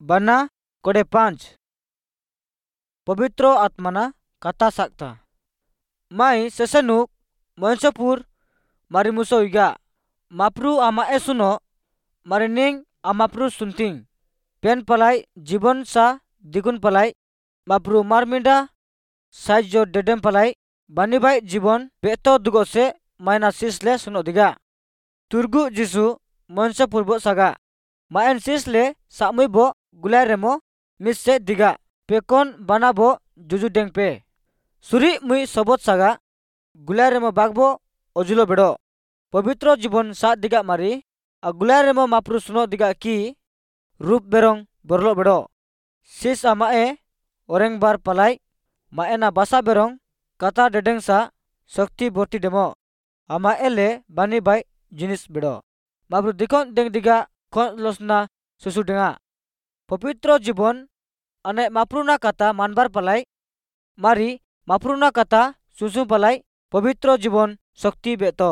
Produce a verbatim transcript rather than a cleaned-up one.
बना कोड़े पांच पवित्र आत्माना कथा साकता माई सेसेनुक मयंसपुर मारी मुसो इगा माप्रू आमा ए सुनो मारी निंग आमाप्रू सुनतिंग पेन पलाई जीवन सा दिगुन पलाई माप्रू मारमिंडा साइजो डेडेम पलाई बानी बाई जीवन बेतो दुगो से मायना सिसले सुनो दिगा तुर्गु जिसु मयंसपुर बो सागा मायन सिसले सामुई बो गुलाय रेमो मिस से दिगा पेकोन बानाबो जुजु डेंगपे सुरी मुई सबत सागा गुलाय रेमो बागबो अजुलो बेडो पवित्र जीवन सा दिगा मारी आ गुलाय रेमो माप्रू सुनो दिगा की रूप बेरोंग बरलो बेडो सिस आमाए ओरेंग बार पलाई माएना बासा बेरोंग कथा डेडेंग सा शक्ति बर्ती डेमो आमाए ले बानी बाई जिनिस बेडो माप्रू दिखोन डेंग दिगा खोन लोसना सुसु डेंगा पवित्र जीवन अने माप्रूना कथा मानबार पलाई मारी माप्रूना कथा सुसु पलाई पवित्र जीवन शक्ति बेतो।